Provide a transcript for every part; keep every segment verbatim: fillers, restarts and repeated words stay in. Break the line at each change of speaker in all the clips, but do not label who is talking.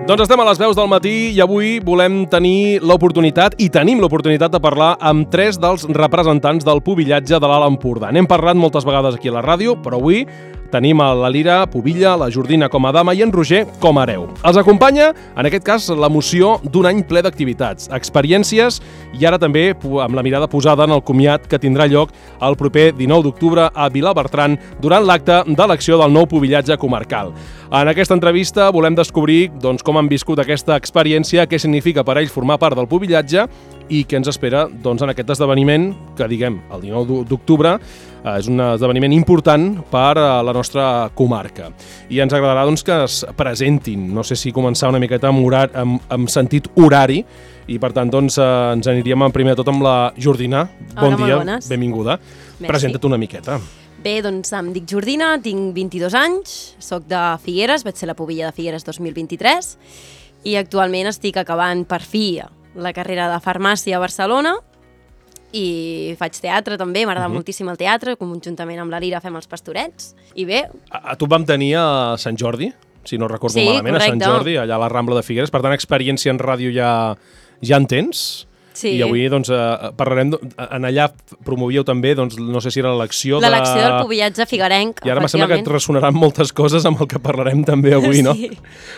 Doncs estem a les veus del matí i avui volem tenir l'oportunitat, i tenim l'oportunitat de parlar amb tres dels representants del pubillatge de l'Alt Empordà. N'hem parlat moltes vegades aquí a la ràdio, però avui tenim a la Lira Pubilla, la Jordina com a dama i en Roger com a hereu. Els acompanya, en aquest cas, l'emoció d'un any ple d'activitats, experiències i ara també amb la mirada posada en el comiat que tindrà lloc el proper dinou d'octubre a Vilabertran durant l'acte d'elecció del nou pubillatge comarcal. En aquesta entrevista volem descobrir doncs, com han viscut aquesta experiència, què significa per a ells formar part del pubillatge i què ens espera doncs, en aquest esdeveniment que, diguem, el dinou d'octubre eh, és un esdeveniment important per a la nostra comarca. I ens agradarà doncs, que es presentin, no sé si començar una miqueta amb, horar, amb, amb sentit horari, i per tant doncs, eh, ens aniríem primer de tot amb la Jordina. Bon
Hola,
dia,
bones.
Benvinguda.
Merci.
Presenta't una miqueta.
Bé, doncs em dic Jordina, tinc vint-i-dos anys, soc de Figueres, vaig ser la pubilla de Figueres dos mil vint-i-tres i actualment estic acabant per fi la carrera de farmàcia a Barcelona i faig teatre també, m'agrada uh-huh. moltíssim el teatre, conjuntament amb la Lira fem els pastorets i bé...
A, a tu et vam tenir a Sant Jordi, si no recordo
sí,
malament,
correcte.
a Sant Jordi, allà a la Rambla de Figueres, per tant experiència en ràdio ja, ja en tens?
Sí.
I avui doncs, eh, parlarem, en allà promovíeu també, doncs, no sé si era l'elecció de...
L'elecció del pubillatge figuerenc,
I ara me sembla que et ressonaran moltes coses amb el que parlarem també avui, no?
Sí.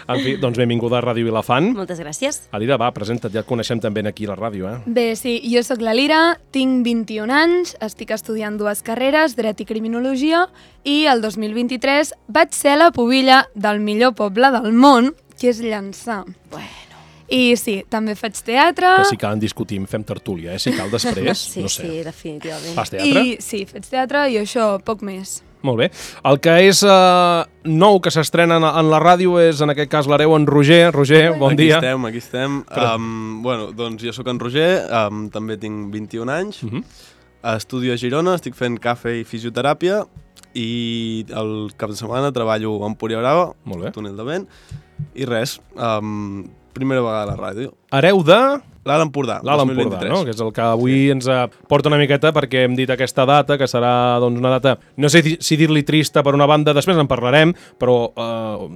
En fi, doncs benvinguda a Ràdio Vilafant.
Moltes gràcies.
Alira, va, presenta't, ja et coneixem també aquí a la ràdio, eh?
Bé, sí, jo sóc la Lira, tinc vint-i-un anys, estic estudiant dues carreres, Dret i Criminologia, i el dos mil vint-i-tres vaig ser la pubilla del millor poble del món, que és Llançà.
Bueno.
I sí, també faig teatre...
Que si cal en discutim, fem tertúlia, eh? Si cal després,
sí,
no sé.
Sí, definitivament.
Fas teatre?
I sí, faig teatre i això, poc més.
Molt bé. El que és uh, nou que s'estrena en, en la ràdio és, en aquest cas, l'hereu en Roger. Roger, bon
aquí
dia.
Aquí estem, aquí estem. Um, bueno, doncs jo sóc en Roger, um, també tinc vint-i-un anys, uh -huh. estudio a Girona, estic fent cafè i fisioteràpia i el cap de setmana treballo a Empúria Brava, túnel de vent, i res, um, primera vegada a la ràdio.
Hereu de...
L'Alt Empordà,
L'Alt Empordà, no? Que és el que avui sí. ens porta una miqueta perquè hem dit aquesta data, que serà doncs, una data, no sé si dir-li trista per una banda, després en parlarem, però eh,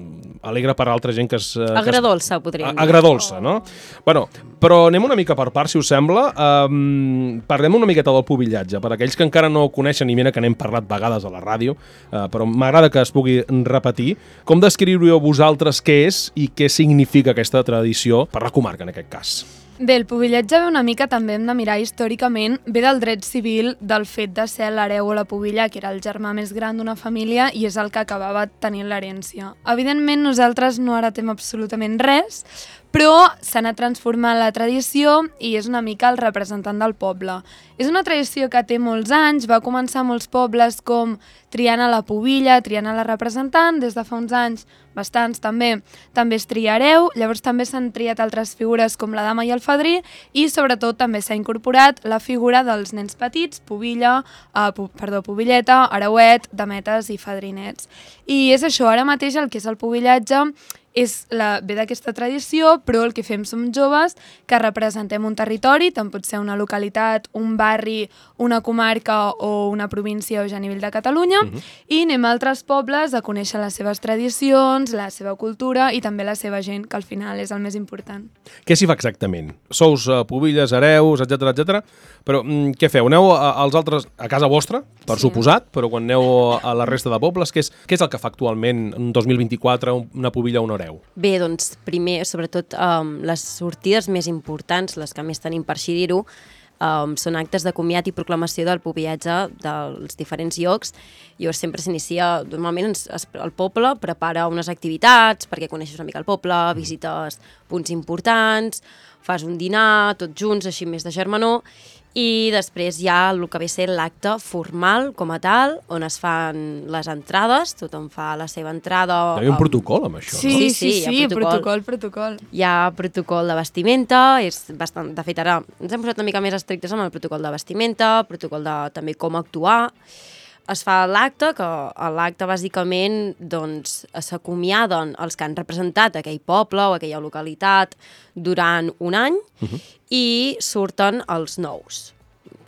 alegre per altra gent que és... Eh,
agradolça, podríem dir.
Agradolça, no? Bueno, però anem una mica per part, si us sembla. Um, parlem una miqueta del pubillatge, per aquells que encara no ho coneixen, i mira que n'hem parlat vegades a la ràdio, uh, però m'agrada que es pugui repetir. Com descriuríeu vosaltres què és i què significa aquesta tradició per la comarca, en aquest cas?
Bé, el pubillatge ve una mica, també hem de mirar històricament, ve del dret civil, del fet de ser l'hereu o la pubilla, que era el germà més gran d'una família i és el que acabava tenint l'herència. Evidentment, nosaltres no heretem absolutament res, però s'ha anat transformant la tradició i és una mica el representant del poble. És una tradició que té molts anys, va començar a molts pobles com triant a la pubilla, triant a la representant, des de fa uns anys, bastants també, també es tria hereu, llavors també s'han triat altres figures com la dama i el fadrí i sobretot també s'ha incorporat la figura dels nens petits, pubilla, eh, pu perdó, pubilleta, hereuet, dametes i fadrinets. I és això, ara mateix el que és el pubillatge és la, ve d'aquesta tradició, però el que fem som joves que representem un territori, tant pot ser una localitat, un barri, una comarca o una província o ja a nivell de Catalunya, uh-huh. i anem a altres pobles a conèixer les seves tradicions, la seva cultura i també la seva gent, que al final és el més important.
Què s'hi fa exactament? Sous uh, pubilles, hereus, etcètera, etcètera, però mm, què feu? Aneu a, als altres, a casa vostra, per sí. suposat, però quan aneu a la resta de pobles, què és, què és el que fa actualment en dos mil vint-i-quatre una pubilla o un hereu?
Bé, doncs, primer, sobretot, um, les sortides més importants, les que més tenim per així dir-ho, um, són actes de comiat i proclamació del pubillatge dels diferents llocs. Llavors sempre s'inicia, normalment es, es, el poble prepara unes activitats perquè coneixes una mica el poble, visites punts importants, fas un dinar, tots junts, així més de germanor, i després hi ha el que ve a ser l'acte formal com a tal, on es fan les entrades, tothom fa la seva entrada.
Hi ha un protocol amb això,
sí,
no?
Sí, sí, sí,
sí
protocol, protocol.
Hi ha protocol de vestimenta, és bastant, de fet ara ens hem posat una mica més estrictes amb el protocol de vestimenta, protocol de també com actuar. Es fa l'acte, que a l'acte bàsicament doncs, s'acomiaden els que han representat aquell poble o aquella localitat durant un any uh-huh. i surten els nous.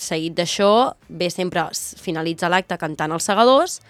Seguit d'això, ve sempre, finalitza l'acte cantant els segadors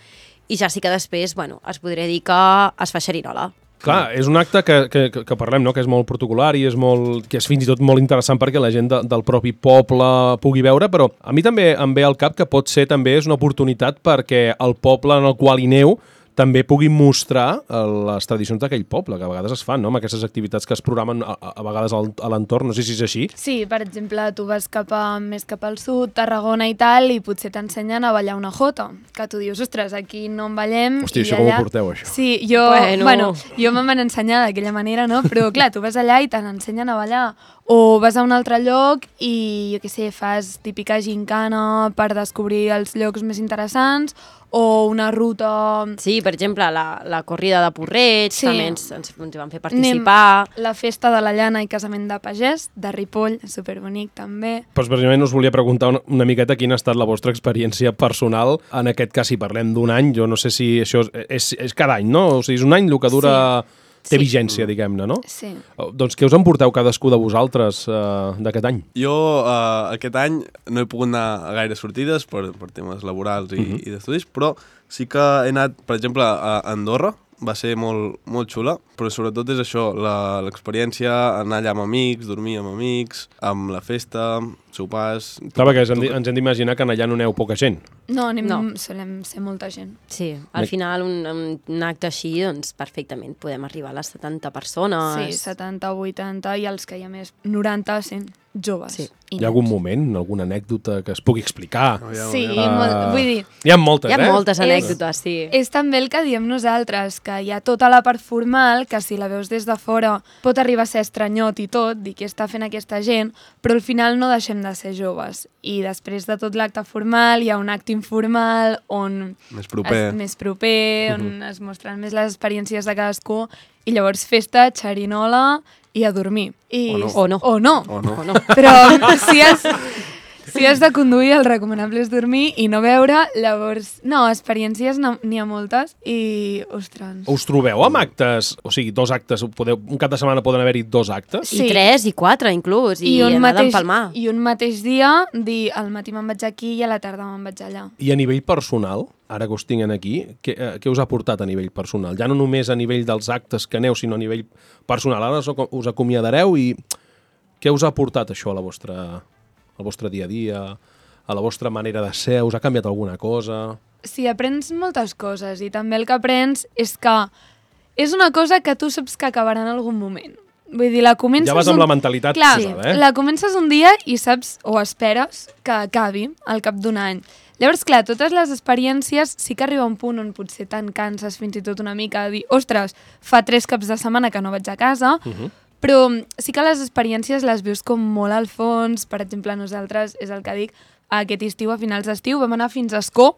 i ja sí que després, bueno, es podria dir que es fa xerinola.
Clar, és un acte que, que, que parlem, no? Que és molt protocolar i és, molt, que és fins i tot molt interessant perquè la gent de, del propi poble pugui veure, però a mi també em ve al cap que pot ser també és una oportunitat perquè el poble en el qual hi neu també pugui mostrar les tradicions d'aquell poble, que a vegades es fan, no? Amb aquestes activitats que es programen a, a vegades al, a l'entorn, no sé si és així.
Sí, per exemple, tu vas cap a, més cap al sud, Tarragona i tal, i potser t'ensenyen a ballar una jota, que tu dius, ostres, aquí no en ballem...
Hòstia,
i
això
allà...
com ho porteu, això?
Sí, jo,
bueno,
bueno, jo me'n van ensenyar d'aquella manera, no? Però clar, tu vas allà i te n'ensenyen a ballar. O vas a un altre lloc i, jo què sé, fas típica gincana per descobrir els llocs més interessants, o una ruta...
Sí, per exemple, la, la corrida de Porreig,
Sí.
també ens, ens, ens hi van fer participar.
Anem la festa de la llana i casament de pagès, de Ripoll, superbonic també.
Però precisament us volia preguntar una, una miqueta quina ha estat la vostra experiència personal. En aquest cas, si parlem d'un any, jo no sé si això és, és, és cada any, no? O sigui, és un any el que dura... Sí. Té
Sí.
vigència, diguem-ne, no?
Sí.
Doncs què us en porteu cadascú de vosaltres uh, d'aquest any?
Jo uh, aquest any no he pogut anar a gaire sortides per, per temes laborals i, uh-huh. i d'estudis, però sí que he anat, per exemple, a Andorra, va ser molt, molt xula, però sobretot és això, la- l'experiència, anar allà amb amics, dormir amb amics, amb la festa, sopars...
Clar, perquè ens hem, di- ens hem d'imaginar que allà no aneu poca gent.
No, anem,
No.
solem ser molta gent.
Sí, al final un, un acte així, doncs perfectament podem arribar a les setanta persones.
Sí, setanta, vuitanta i els que hi ha més, noranta, cent joves.
Sí.
i
Hi ha algun
nens.
moment, alguna anècdota que es pugui explicar?
No, ja,
Sí,
ja.
molt,
Ah.
vull dir,
Hi ha moltes,
Hi ha
eh?
moltes
És-
anècdotes, sí.
és també el que diem nosaltres, que hi ha tota la part formal, que si la veus des de fora pot arribar a ser estranyot i tot, dir què està fent aquesta gent, però al final no deixem de ser joves. I després de tot l'acte formal hi ha un acte informal on
Més proper.
és més proper, on es mostren més les experiències de cadascú, i llavors festa, xerinola i a dormir. I,
O no.
O no.
O no.
O no.
O no.
Però si has, si has de conduir, el recomanable és dormir i no beure, llavors... No, experiències no- n'hi ha moltes i, ostres...
Us trobeu amb actes, o sigui, dos actes, podeu, un cap de setmana poden haver-hi dos actes?
Sí.
I tres, i quatre, inclús, i,
un
anar
mateix,
d'empalmar.
I un mateix dia, dir al matí me'n vaig aquí i a la tarda me'n vaig allà.
I a nivell personal, ara que us tinguin aquí, què, eh, què us ha portat a nivell personal? Ja no només a nivell dels actes que aneu, sinó a nivell personal. Ara us aco- us acomiadareu i què us ha portat això a la vostra, al vostre dia a dia, a la vostra manera de ser? Us ha canviat alguna cosa?
Sí, aprens moltes coses i també el que aprens és que és una cosa que tu saps que acabarà en algun moment. Vull dir, la comences...
Ja vas amb
un-
la mentalitat
Clar,
posada, eh?
la comences un dia i saps o esperes que acabi al cap d'un any. Llavors, clar, totes les experiències sí que arriba un punt on potser te'n canses fins i tot una mica de dir, ostres, fa tres caps de setmana que no vaig a casa,
Uh -huh.
però sí que les experiències les vius com molt al fons. Per exemple, nosaltres, és el que dic, aquest estiu, a finals d'estiu, vam anar fins a Ascó,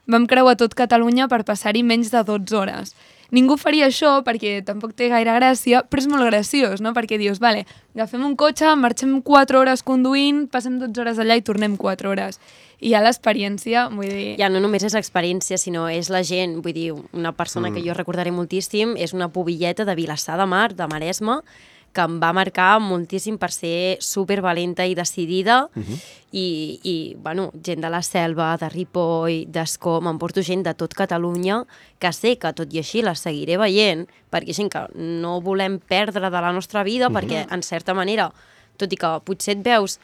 vam creuar tot Catalunya per passar-hi menys de dotze hores. Ningú faria això perquè tampoc té gaire gràcia, però és molt graciós, no? Perquè dius, vale, agafem un cotxe, marxem quatre hores conduint, passem dotze hores allà i tornem quatre hores. I hi ha l'experiència, vull dir...
Ja no només és l'experiència, sinó és la gent. Vull dir, una persona mm. que jo recordaré moltíssim és una pubilleta de Vilassar de Mar, de Maresme, que em va marcar moltíssim per ser supervalenta i decidida. Uh -huh. I, i, bueno, gent de la Selva, de Ripoll, d'Ascó, m'emporto gent de tot Catalunya, que sé que tot i així la seguiré veient, perquè és gent que no volem perdre de la nostra vida, uh -huh. perquè, en certa manera, tot i que potser et veus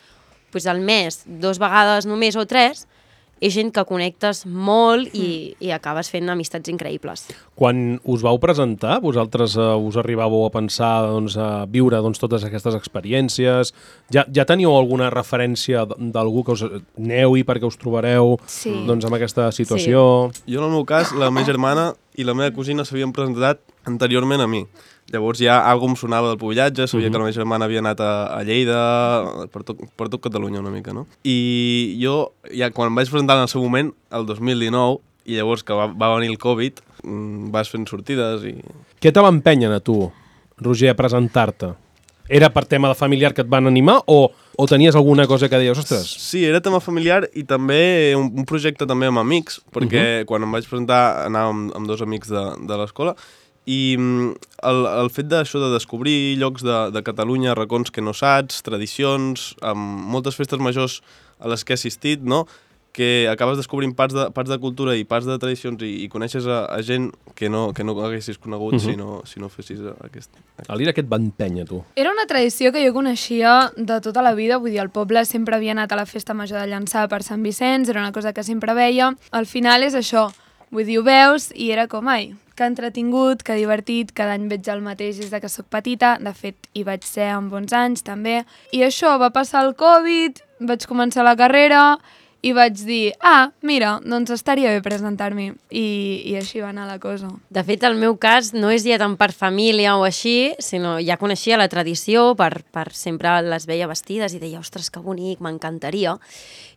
pues, al mes dos vegades només o tres, és gent que connectes molt i, i acabes fent amistats increïbles.
Quan us vau presentar, vosaltres uh, us arribàveu a pensar doncs, a viure doncs, totes aquestes experiències? Ja, ja teníeu alguna referència d- d'algú que us aneu-hi perquè us trobareu
Sí.
doncs, amb aquesta situació?
Jo, en el meu cas, la meva germana i la meva cosina s'havien presentat anteriorment a mi. Llavors ja algú em sonava del pubillatge, sabia uh -huh. que la meva germana havia anat a, a Lleida, per tot, per tot Catalunya una mica, no? I jo, ja quan em vaig presentar en el seu moment, el dos mil dinou, i llavors que va, va venir el Covid, mm, vas fent sortides i...
Què te va empènyer a tu, Roger, a presentar-te? Era per tema de familiar que et van animar o, o tenies alguna cosa que deies, ostres,
Sí, era tema familiar i també un, un projecte també amb amics, perquè uh -huh. quan em vaig presentar anàvem amb, amb dos amics de, de l'escola i mm, el, el fet d'això de descobrir llocs de, de Catalunya, racons que no saps, tradicions, amb moltes festes majors a les que he assistit, no? que acabes descobrint parts de, parts de cultura i parts de tradicions i, i coneixes a, a gent que no, que no haguessis conegut uh -huh. si, no, si no fessis aquest... aquest.
A l'Ira què et va empènyer, tu?
Era una tradició que jo coneixia de tota la vida, vull dir, el poble sempre havia anat a la festa major de Llançà per Sant Vicenç, era una cosa que sempre veia. Al final és això, vull dir, ho veus i era com, ai, que entretingut, que divertit, cada any veig el mateix des de que sóc petita, de fet hi vaig ser amb bons anys també, i això, va passar el Covid, vaig començar la carrera i vaig dir, ah, mira, doncs estaria bé presentar-m'hi, i, i així va anar la cosa.
De fet, el meu cas no és ja tant per família o així, sinó ja coneixia la tradició, per, per sempre les veia vestides i deia, ostres, que bonic, m'encantaria.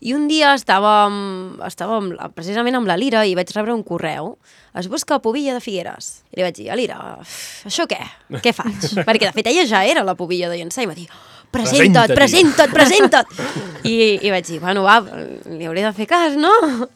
I un dia estàvem, estàvem precisament amb la Lira i vaig rebre un correu. Es busca pubilla de Figueres. I li vaig dir, Lira, això què? Què faig? Perquè, de fet, ella ja era la pubilla de Llançà i va dir, presenta't, presenta't, presenta't! I, I vaig dir, bueno, va, li hauré de fer cas, no?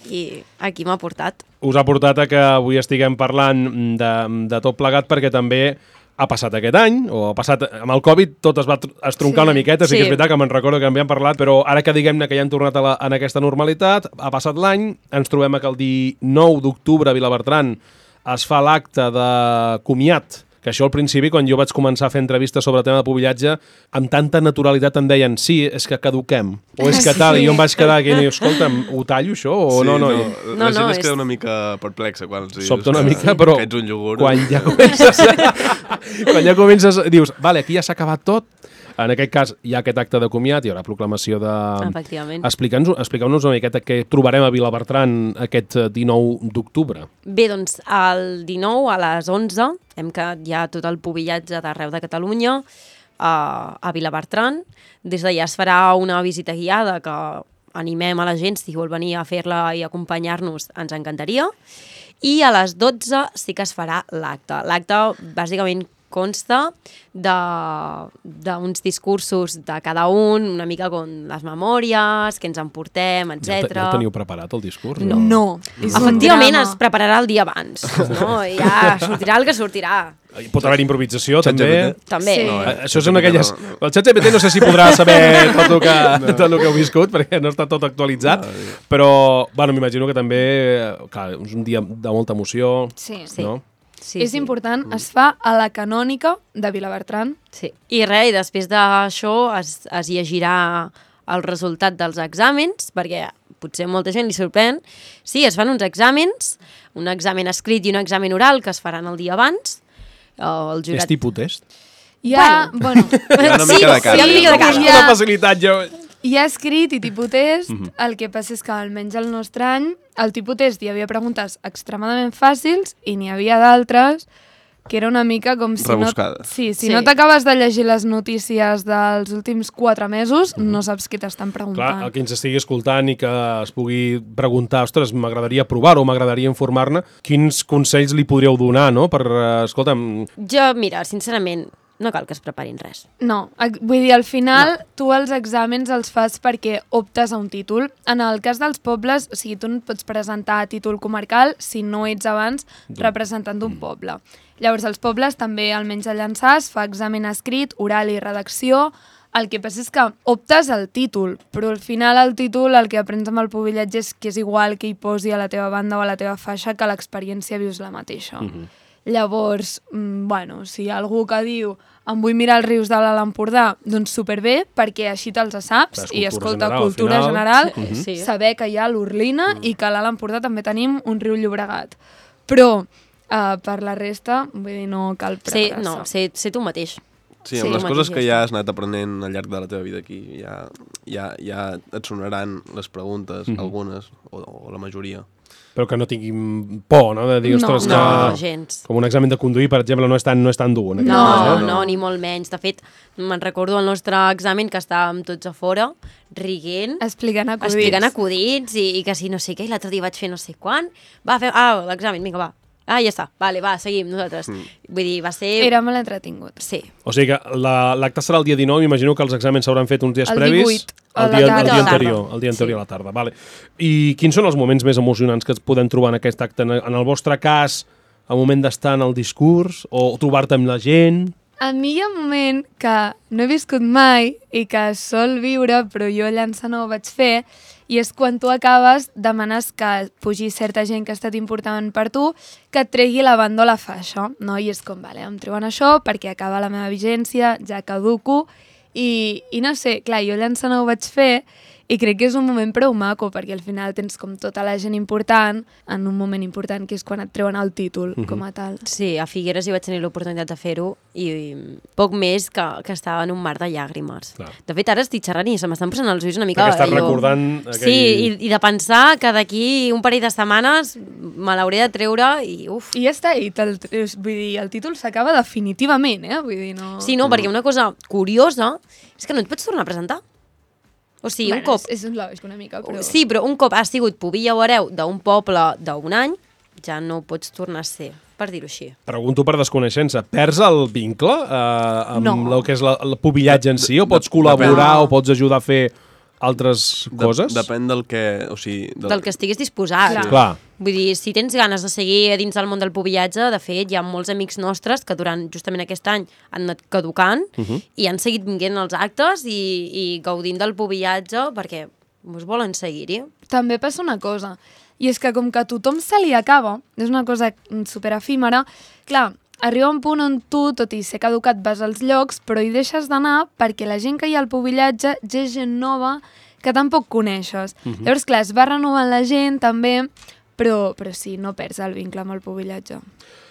I aquí m'ha portat.
Us ha portat a que avui estiguem parlant de, de tot plegat perquè també ha passat aquest any, o ha passat amb el Covid, tot es va estroncar sí. una miqueta, sí, sí que és veritat que me'n recordo que en havíem parlat, però ara que diguem-ne que ja hem tornat a la, en aquesta normalitat, ha passat l'any, ens trobem que el dinou d'octubre a Vilabertran es fa l'acte de comiat, que això al principi, quan jo vaig començar a fer entrevistes sobre el tema de pubillatge, amb tanta naturalitat em deien, sí, és que caduquem, o és que tal, sí. I jo em vaig quedar aquí i dic, escolta'm, ho tallo això o
sí,
no? No,
no,
I...
la
no,
gent
no,
es queda
és...
una mica perplexa quan els dius
Sobta una
que,
mica, però
que ets un iogurt.
Quan ja comences, quan ja comences, dius, vale, aquí ja s'ha acabat tot. En aquest cas hi ha aquest acte de comiat, hi haurà proclamació de...
Efectivament.
Explica'ns expliqueu-nos una miqueta què trobarem a Vilabertran aquest dinou d'octubre.
Bé, doncs el dinou a les onze hem quedat ja tot el pubillatge d'arreu de Catalunya a, a Vilabertran. Des d'allà es farà una visita guiada que animem a la gent, si vol venir a fer-la i acompanyar-nos, ens encantaria. I a les dotze sí que es farà l'acte. L'acte bàsicament consta d'uns discursos de cada un, una mica com les memòries, que ens emportem, etcètera.
Ja el teniu preparat, el discurs?
No. no.
Efectivament es prepararà el dia abans, no? Ja sortirà el que sortirà.
Pot haver improvisació, també.
També.
Sí.
No, eh?
Això són aquelles... El xat G P T no sé si podrà saber tot el que, no. tot el que heu viscut, perquè no està tot actualitzat, no, però, bueno, m'imagino que també, clar, és un dia de molta emoció,
sí.
no?
Sí,
és
sí.
important, es fa a la canònica de Vilabertran.
Sí. I res, i després d'això es, es llegirà el resultat dels exàmens, perquè potser molta gent li sorprèn. Sí, es fan uns exàmens, un examen escrit i un examen oral que es faran el dia abans. El jurat...
És tipus test?
Hi ha, bueno,
Hi ha una
sí,
mica de cara.
Hi ha una mica de cara.
Hi
Una
ha,
facilitat, jo...
hi ha escrit i tipus test,
Mhm.
el que passa és que almenys el nostre any, al tipus test hi havia preguntes extremadament fàcils i n'hi havia d'altres que era una mica com si
Rebuscades.
no... Sí, si
Sí.
no t'acabes de llegir les notícies dels últims quatre mesos, no saps què t'estan preguntant.
Clar, el que ens estigui escoltant i que es pugui preguntar, ostres, m'agradaria provar-ho, m'agradaria informar-ne, quins consells li podríeu donar, no? Per, uh, escolta'm...
Jo, mira, sincerament, no cal que es preparin res.
No, ec- vull dir, al final no. tu els exàmens els fas perquè optes a un títol. En el cas dels pobles, o sigui, tu no et pots presentar a títol comarcal si no ets abans representant d'un poble. Llavors, als pobles també, almenys a Llançà, es fa examen escrit, oral i redacció. El que passa és que optes al títol, però al final el títol el que aprens amb el pubillatge és que és igual que hi posi a la teva banda o a la teva faixa, que l'experiència vius la mateixa.
Mhm.
Llavors, mm, bueno, si hi ha algú que diu em vull mirar els rius de l'Alt Empordà, doncs superbé, perquè així te'ls saps,
És
i
cultura
escolta,
general, al
cultura
final.
general,
Mhm. Sí.
saber que hi ha l'Orlina i que a l'Alt Empordà també tenim un riu Llobregat. Però uh, per la resta, vull dir, no cal
Sí,
preparar-se.
no, sé, sé tu mateix.
Sí,
Sí,
amb les
el
coses
mateix
que
ja
ja has anat aprenent al llarg de la teva vida aquí, ja, ja, ja et sonaran les preguntes,
Mhm.
algunes, o, o la majoria.
Però que no tinguin por, no? De dir,
No,
ostres,
No,
que...
gens.
Com un examen de conduir, per exemple, no és tan, no és tan dur. En aquest
No,
cas,
no,
eh?
no, ni molt menys. De fet, me'n recordo el nostre examen que estàvem tots a fora, riguent,
Explicant acudits.
explicant acudits i, i que si no sé què, i l'altre dia vaig fer no sé quan. Va, fem... Ah, l'examen, vinga, va. Ah, ja està. Vale, va, seguim nosaltres. Mm. Vull dir, va ser...
Era molt entretingut.
Sí.
O sigui que la- l'acte serà el dia dinou, m'imagino que els exàmens s'hauran fet uns dies
El
previs.
divuit, a
el
la
dia,
tarda.
el dia
A la tarda.
anterior, el dia anterior
Sí.
a la tarda. Vale. I quins són els moments més emocionants que es podem trobar en aquest acte? En en el vostre cas, el moment d'estar en el discurs o trobar-te amb la gent?
A mi hi ha un moment que no he viscut mai i que sol viure, però jo llançar no ho vaig fer, i és quan tu acabes, demanes que pugi certa gent que ha estat important per tu, que et tregui la banda o la faixa, no? I és com, vale, em treuen això perquè acaba la meva vigència, ja caduco, i, i no sé, clar, jo llançar no ho vaig fer, i crec que és un moment prou maco, perquè al final tens com tota la gent important en un moment important, que és quan et treuen el títol, uh-huh. com a tal.
Sí, a Figueres hi vaig tenir l'oportunitat de fer-ho i, i poc més que, que estava en un mar de llàgrimes. Clar. De fet, ara estic xerrant i se m'estan posant els ulls una mica...
Que estàs recordant... Aquell...
Sí, i, i de pensar que d'aquí un parell de setmanes me l'hauré de treure i uf.
I ja està, i el, vull dir, el títol s'acaba definitivament, eh? Vull dir, no...
Sí, no, mm. perquè una cosa curiosa és que no et pots tornar a presentar. O sigui,
bueno,
un cop...
És, és lògic una mica, però...
Sí, però un cop has sigut pubilla o hereu d'un poble d'un any, ja no pots tornar a ser, per dir-ho així.
Pregunto per desconeixença, perds el vincle eh, amb
no.
el que és la, el pubillatge en si, o pots col·laborar
no.
o pots ajudar a fer altres
de,
coses?
Depèn del que... O sigui,
del... del que estiguis disposat.
Clar.
Clar.
Vull dir, si tens ganes de seguir dins del món del pubillatge, de fet, hi ha molts amics nostres que durant justament aquest any han anat caducant uh -huh. i han seguit vinguent als actes i, i gaudint del pubillatge perquè us volen seguir-hi.
També passa una cosa, i és que com que a tothom se li acaba, és una cosa super efímera, clar, arriba un punt on tu, tot i ser caducat, vas als llocs, però hi deixes d'anar perquè la gent que hi ha al pubillatge ja és gent nova que tampoc coneixes. Uh -huh. Llavors, clar, es va renovant la gent també, però, però sí, no perds el vincle amb el pubillatge.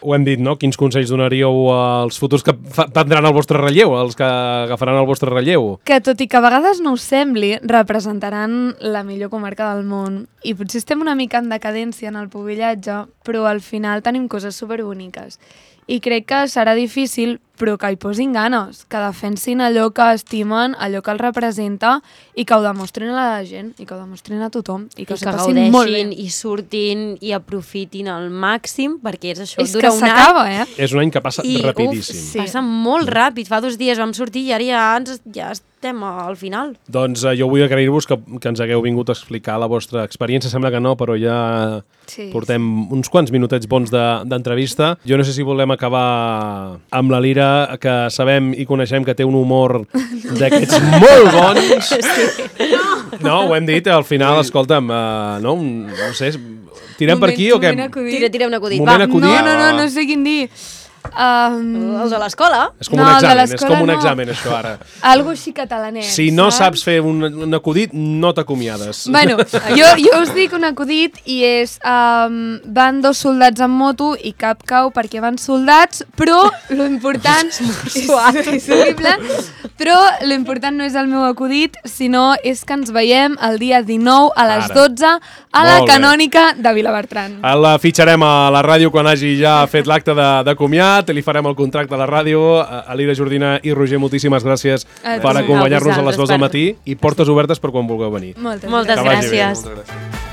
Ho hem dit, no? Quins consells donaríeu als futurs que prendran el vostre relleu, als que agafaran el vostre relleu?
Que tot i que a vegades no us sembli, representaran la millor comarca del món. I potser estem una mica en decadència en el pubillatge, però al final tenim coses superboniques. I crec que serà difícil, però que hi posin ganes, que defensin allò que estimen, allò que els representa i que ho demostrin a la gent, i que ho demostrin a tothom, i que,
I
que
que
passin molt bé.
gaudeixin i surtin i aprofitin al màxim, perquè és això,
És
dura
que
un any.
s'acaba, eh?
És un any que passa
I,
rapidíssim.
Uf, sí. Passa molt ràpid. Fa dos dies vam sortir i ara ja, ens, ja estem al final.
Doncs eh, jo vull agrair-vos que, que ens hagueu vingut a explicar la vostra experiència. Sembla que no, però ja
sí,
portem
sí.
uns quants minutets bons d'entrevista. De, jo no sé si volem acabar amb la Lira, que sabem i coneixem que té un humor d'aquests molt bons.
Sí.
No, ho hem dit, al final, escolta'm, uh, no, no sé, tirem
Moment,
per aquí o què?
Tira, tira un acudit,
Moment
va.
acudit.
No, no, no, no sé quin dir. Um,
Els de l'escola?
És com
No,
un
el de
examen, és
l'escola
com un
no.
examen, això, ara.
Algo així catalanet,
Si no
saps?
saps fer un, un acudit, no t'acomiades.
Bueno, jo, jo us dic un acudit i és um, van dos soldats en moto i cap cau perquè van soldats, però lo important és, és horrible, però lo important no és el meu acudit, sinó és que ens veiem el dia dinou a les
Ara.
dotze a la
Molt bé.
Canònica de Vilabertran.
La fitxarem a la ràdio quan hagi ja fet l'acte de, de comiat, li farem el contracte a la ràdio. Elira Jordina i Roger, moltíssimes gràcies
A
per
tu.
acompanyar-nos a les
A
dues del
vosaltres
matí i portes obertes per quan vulgueu venir.
Moltes,
Moltes
Que vagi bé.
gràcies.
Moltes gràcies.